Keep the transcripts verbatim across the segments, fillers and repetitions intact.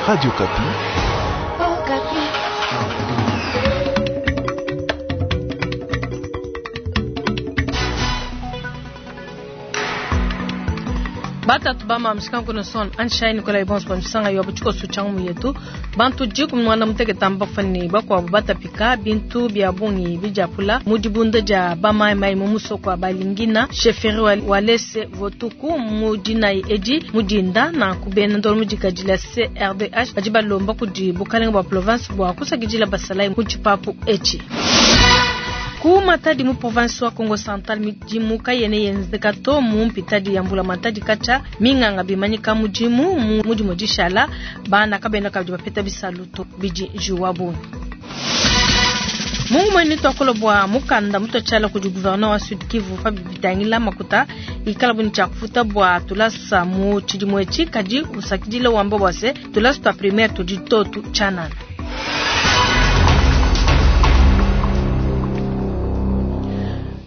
Radio Okapi. Oh, Okapi. Batatu bama mshikangu son anshai Nikolai Bons pa msanga yo buchiko suchangu muyetu bantu jiku mwana muteke tamba fani bakwa batapika bintu bya bungi bijapula mudibunda ja bamai mai mumusoko balingina sheferi walese votuku mudina edi mudinda na kubena ndolo mudikadila C R D H badi balomba kudi bukalenga bwa province bwa kusakidila basalai muchipapu echi. Ku Matadi mu province wa Kongo Central midimu kayene yenzeka to mu mpitadi ya mbula Matadi kacha minganga bimanyika mudimu mu mudimu dishala bana kabena kabidi bapeta bisaluto bidi juwabu. Mungu mwene twakolo bwa mukanda mutochala kudi gouverneur wa Sud Kivu Fabi Bitangila makuta ikala buni cha kufuta bwa tulasa mu chidimu echi kadi usakidile wamba bwase tulasa twa primaire tudi totu chanana.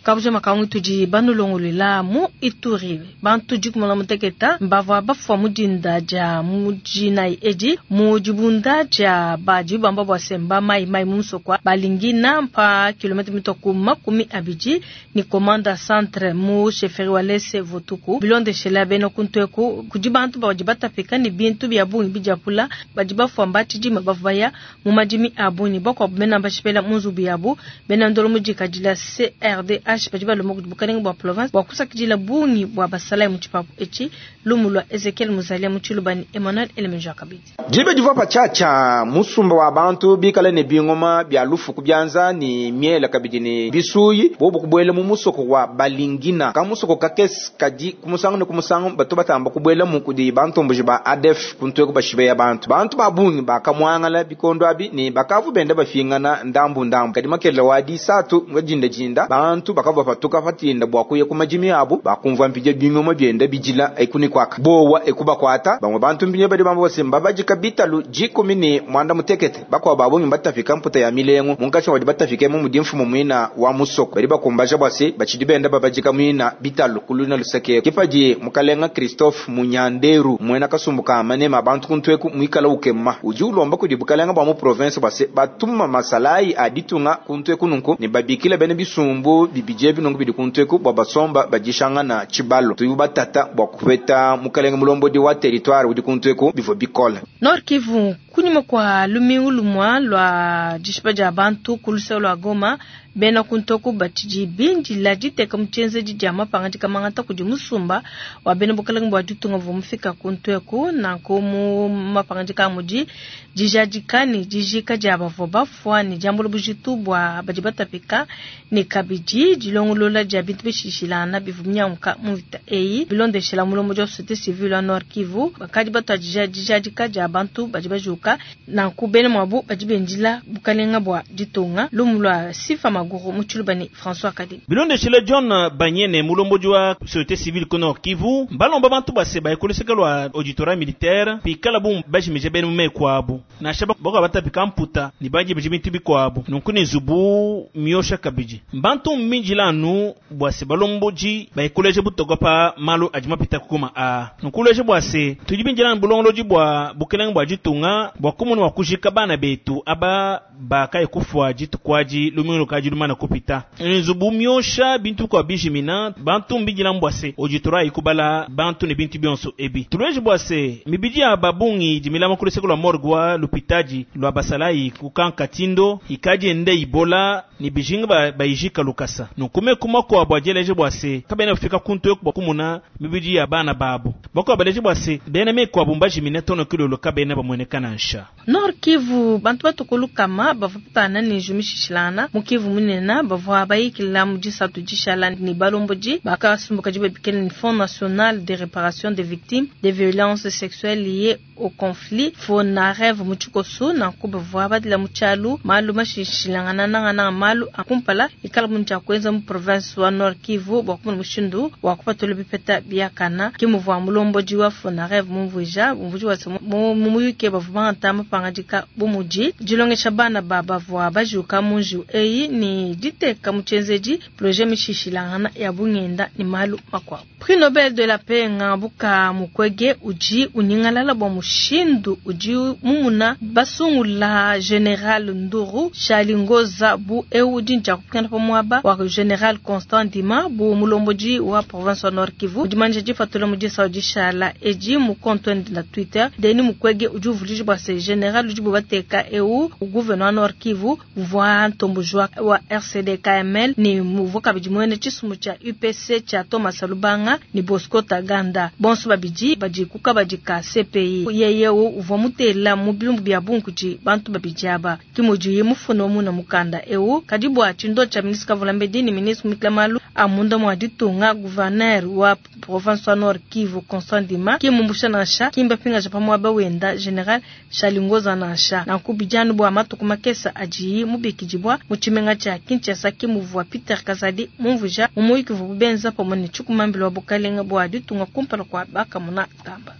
Kabuja makangu tudi banulongolela mu Ituri bantu dikumona muteketa mbavua bafua mudinda dia mudina edi mu dibunda dia badi bamba bua semba mai mai musokwa balingina mpa kilomita mitoku makumi abidi ni komanda centre mu chefferie walese votuku bilondeshela beno kunteku kudi bantu badi batapika ni bintu bya bungi bijapula badi bafua mbatshidima bavaya mu madimi abunyi bakwa bena bashipela munzubu yabu bena ndolo mudikadila C R D H badi balomba kudi bukalenga bwa province bwa kusakidila bungi bwa basalai mu tshipapu etshi lumu lwa Ezekiel Muzalia mu Tshilubani Emmanuel Elemenjo akabidi. Jibe divua patshatsha musumba wa bantu bikale ne bingoma bya lufu kubyanza ni miela kabidi ni bisuyi bobu kubuela mu musoko wa balingina ka musoko kakesi kadi kumusangu ne kumusangu bato batamba kubuela mu kudi bantomboji ba A D F kuntwe bashibeya bantu bantu ba bungi bakamwangala bikondo abi ni bakavu benda bafingana ndambu ndambu kadi makela wa disatu ngajinda jinda bantu bakava patuka patinda bwa kuya ku majimi abu bakumva mpije bingoma byenda bijila ekuni kwaka bowa ekubakwata bamwe bantu mbinye badi bamba bose mbabajika bitalu jikumi ni mwanda mutekete bakwa babonyi batafika mputa ya milengo munkacha wadi batafike mu mudimfu mwina wa musoko bali bakumbaja bwase bachidi benda babajika mwina bitalu kuluna luseke kipaji mukalenga Christophe Munyanderu mwena kasumbuka manema abantu kuntweku mwikala ukema uji ulomba kudi bukalenga bwa mu province bwase batuma masalai aditunga kuntweku nunku ni babikila bene bisumbu bibije binungu bidi kuntweku bwa basomba bajishangana chibalo tuyu batata bwa kupeta mukalenga mulombodi wa territoire udi kuntweku bivo bikola. Nord Kivu kunyuma kwa lumingu lumwa lwa dishipa dia bantu kuluse lwa Goma bena kuntoku batidi bindila diteka mutshienzedi dia mapanga dikamangata kudi musumba wa bena bukalenga bua ditunga buvua mufika kuntweku nanku mu mapanga dikamudi dijadika ne dijika dia bavua bafua ne diambula bujitu bua badi batapika ne kabidi dilongolola dia bintu bishishilana bivua binyanguka mu mvita eyi bilondeshela mulombodi wa société civile wa Nord Kivu bakadi batuadija dijadika dia bantu badi bajuka nanku bena muabu badi bendila bukalenga bua ditunga lumu lwa Sifa Maguru mu Tshilubani François Kadi. Bilondeshela John Banyene mulombodi wa société civile ku Nord Kivu balomba bantu base bayekoleseka lwa auditorat militaire pikala bu bajimije bene mu kwabu nasha bako batapika mputa ni bajimije bintu bikwabu nunku ni zubu miosha kabidi bantu minjilanu bwase balomboji bayekoleje butoka pa malu adi mapita kukuma a nunkuleje bwase tudi binjilanu bulongoloji bwa bukelenge bwa ditunga bwa kumunu wa kujika bana betu aba bakaye kufua ditukwaji lumingu kaji lumana kupita nzubu miosha bintu kwa bijimina bantu mbijila mbwase auditorat ikubala bantu ne bintu bionso ebi tuleje bwase mibidi ya babungi dimilama kuleseko lwa morgue wa lupitaji lwa basalai kukanka tindo ikaji ende ibola ni bijinga ba, bayijika lukasa nunkume kuma kwa bwajeleje bwase kabena kufika kuntu yoku bwakumuna mibidi ya bana babo bako baleje bwase bena me kwa bumbaji minetono kilolo kabena bamwenekana nsha. Nord Kivu bantu batukulukama bavua patana ne jumishishilana mu Kivu munena bavua bayikila mu disatu dishala ni balomboji bakasumbuka dibabikela ni Fonds national de réparation des victimes des violences sexuelles liées au conflit FONAREV mu tshikosu nanku bavua badila mu tshialu malu mashishilangana nangananga malu akumpala ikala mu dia kuenza mu province wa Nord Kivu bua kumona mushindu wa kupatula bipeta biakana ke muvua mulombodi wa FONAREV mumvuija mumvuiji wase mu muyuke bavua bangata mapanga mapangadika bu mudi dilongesha bana ba bavua bajuka mu njiwu eyi ne diteka mu tshienzedi projet mishishilangana ya bungenda ne malu makuabu. Prix Nobel de la paix Ngabuka Mukwege udi unyingalala bua mushindu udi mumuna basungula General Nduru Shalingoza bu eu udi ntshia pa muaba wa General Constant Ndima bu mulombodi wa province wa Nord Kivu udi manja difatula mu disa dishala edi mu compte na Twitter. Denis Mukwege udi uvulija bua se General udi bubateka eu gouverneur wa Nord Kivu uvua ntombojwa wa R C D K M L ni muvua kabidi mwene tshisumu tshia U P C tshia Thomas Lubanga ni Bosco Taganda bonso babidi badi kukabadi ka C P I yeye uvua mutela mu bilumbu bia bunkuji bantu babidi aba kimudi mufuna muna mukanda eu kadi bua tshindo tshia ministre Kavulambedi ni ministre Mitlamalu amunda mwa ditunga gouverneur wa province wa Nord Kivu Constant Ndima kimumbusha nansha kimba pinga japa mwaba wenda General Shalingoza nansha na kubijanu bwa matuku makesa aji mubikijibwa mu tshimenga tshia Kinshasa kimuvua Peter Kazadi mumvuja mumuyiki vubenza pamwe ne tshikumambilo wa bukalenga bwa ditunga kumpala kwa bakamuna tamba.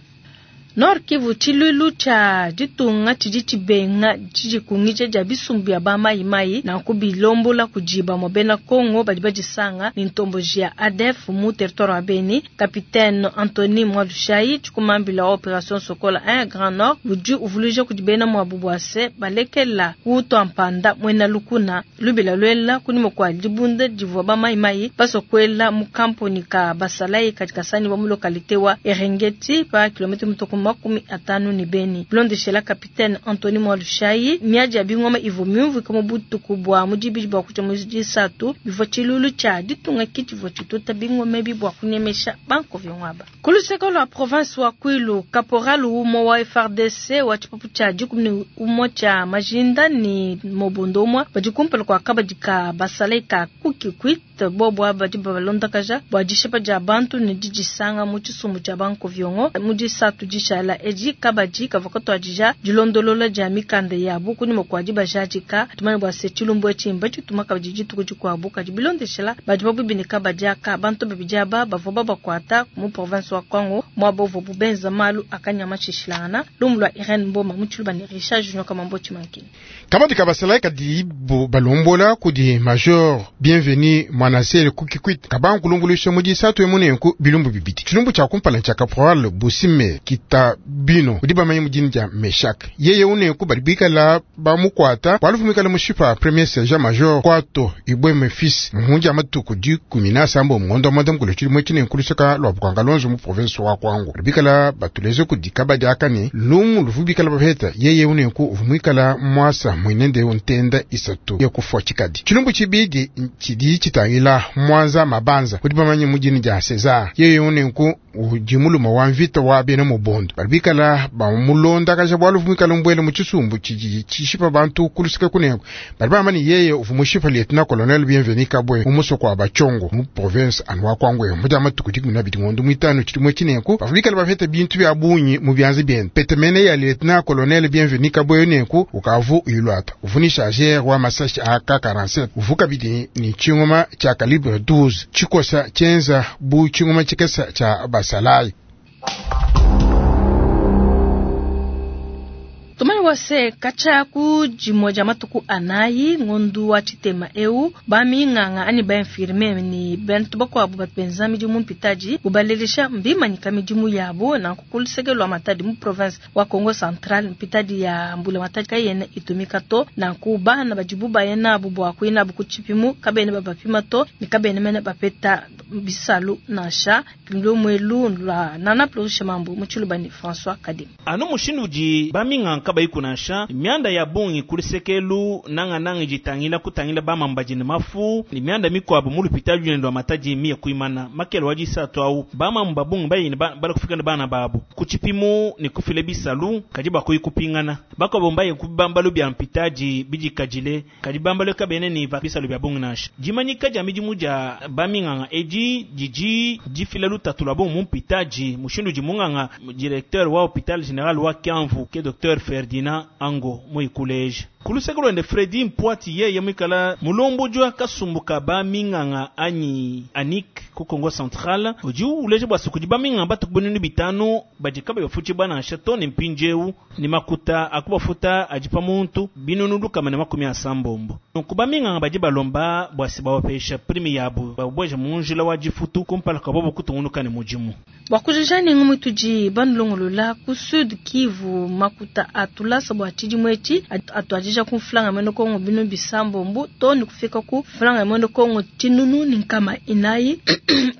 Nord Kivu tshilulu tshia ditunga tshidi tshibenga tshidi ja bisumbu ya ba mai na kubilombola kujiba mobena Kongo badi badisanga ni ntomboji ya A D F mu territoire wa Beni. Capitaine Anthony Mwalushai tshikumambila wa Operation Sokola un Grand Nord udi uvuluija kudibena mwa bubwase balekela kutwa mpanda mwena lukuna lubila lwela kunimo kwa dibunda divua ba mai mai basokwela mu kampuni ka basalai katika sani wa mu localité wa Erengeti pa kilomita mutoko makumi atano ni Beni. Blondeshela Capitaine Anthony Mwalushai miaji ya bingoma ivo myumvu kama butuku bwa mujibi bwa kucha mwezi satu bivwa chilulu cha ditunga kiti vwa chituta bingoma bi bwa kunyemesha banko vyongwaba. Kuluseko la province wa Kwilu caporal umo wa F R D C wa chipapu cha dikumi umo cha majinda ni mobondo mwa bajikumpela kwa kabadika basaleka kukikwit bobo abadi balonda kaja bwa dishepa ja bantu ni dijisanga mu tshisumbu tshia banko vyongo mu disatu dishala edi kabadi kavokato adija dilondolola dia mikanda yabu kuni mokwadi bajadika tumane bwa se tshilumbu etshimba tshituma kabadi dituku dikuabu kadi bilondeshela badi babubini kabadi aka bantu babidi aba bavua babakuata mu province wa Kwango mwabo vobu benza malu akanyama tshishilangana lumu lwa Irene Mboma mu tshiluba ne Richard Junior Kamambo Tshimankini. Kabadi kabasala kadi balombola kudi major Bienvenu Mwanasele kukikwit kabankulumbuluisha mu disatu emunenku bilumbu bibidi tshilumbu tshia kumpala tshia caporal Busime kita bino udi bamanye mudini dia Meshak yeye unenku badi bikala bamukwata walufumikala mushipa premier sergent major kwato ibweme fils muhunja matuku dikumi na sambo mungondo mwanda mukulu tshili tshinenku lusaka lwa bukanga lonzo mu province wa Kwango badi bikala batuleze kudi kabadi akane lumu luvu bikala bapeta yeye unenku uvumwikala mwasa mwinende untenda isatu ya kufwa tshikadi tshilumbu tshibidi tshidi tshitangila mwanza mabanza udi bamanye mudini dia César yeye unenku udi muluma wa mvita wa bena mubondo bali bikala bamulonda kaja bwalu vumikala mbwele mu tshisumbu tshidi tshishipa bantu kulusika kunengo bali bamani yeye uvumushipa lieutenant colonel Bienvenu Kabwe umusoko wa Bachongo mu province anwa Kwangwe muja matuku dikumi na bidi ngondo mwitano tshidi tshinenku bavumikala bafete bintu bya bunyi mu byanzi byene petemene ya lieutenant colonel Bienvenu Kabwe nenku ukavu ilwata uvunisha jer wa masashi A K quarante-sept uvuka bidi ni chingoma cha calibre douze chikosa chenza bu chingoma chikesa cha basalai. Tumani wase kacha ku jimoja matuku anayi ngondu wa chitema eu bami nganga ani ba infirmier ni bentu bakwabu batbenza midimu mpitaji bubalelesha mbimanyika midimu yabo na kukulisegelwa matadi mu province wa Kongo Central mpitaji ya mbula matadi kayene itumika to na kubana bajibu bayena bubwa kuina bukuchipimu kabene babapima to ni kabene mene bapeta bisalu nasha kimlomwelu la nana plusha mambo muchulubani François Kadim anu mushindu ji bami nganga kabayi kunansha mianda ya bungi kulisekelu nanga nanga jitangila kutangila bamambaji ne mafu ni mianda mikwabu mu lupitali lwendo lwa mataji miya kuimana makelo waji satu au bamamba bungi bayini ba, bala kufika na bana babu kuchipimu ni kufile bisalu kaji bakuyi kupingana bako bombaye kubambalu bya mpitaji bijikajile kaji bambalu kabene ni va bisalu bya bungi nansha jimanyika ja midimu ja baminganga eji jiji jifile lutatu lwa bungi mu mpitaji mushindu jimunganga directeur wa hôpital général wa Kiamvu ke docteur Ferdinand Ango muikuleje. Ku luseke lwende Fredi Mpwati yeye mwikala mulomboji wa kasumbu ka baminganga anyi anik ku Kongo Central udi uleja bua se kudi baminganga batuku binunu bitanu badi kabayi bafutshibua nansha to ne mpindiewu ne makuta akubafuta adi pa muntu binunu lukama ne makumi asambombo. Nunku baminganga badi balomba bua se bawapesha prime yabu babweja mu njila wa difutu kumpala kwa bobo kutungunuka ne mudimu. Bua kujija ne ngumu tudi banulongolola ku Sud Kivu, makuta atulasa bua tshidimu etshi atuadija ku mfulanga mwene Kongo binu bisambombo to ne kufika ku mfulanga mwene Kongo tshinunu ne nkama inayi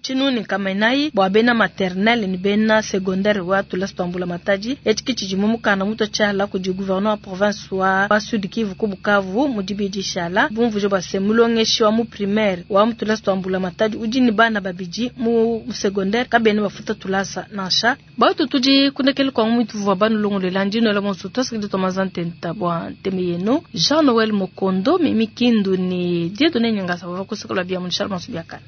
tshinunu ne nkama inayi bua bena maternelle ne bena secondaire wa tulasa tua mbula matadi. Etshi ke tshidi mu mukanda mutua tshiala kudi gouverneur wa province wa, wa Sud Kivu ku Bukavu mu dibidi shala bumvuje bua se mulongeshi wa mu primaire wa mu tulasa tua mbula matadi udi ne bana babidi mu secondaire kabena bafuta tulasa nansha. Batu tudi kundekele kwa ngumu tuvua banulongolela ndinoela bonso twasakidi twa mazantenta bua nteme yenu Jean Noel Mokondo mimi Kindu ni Dieudonné Nyangasa bava kusekela bia mu Charles Biakana.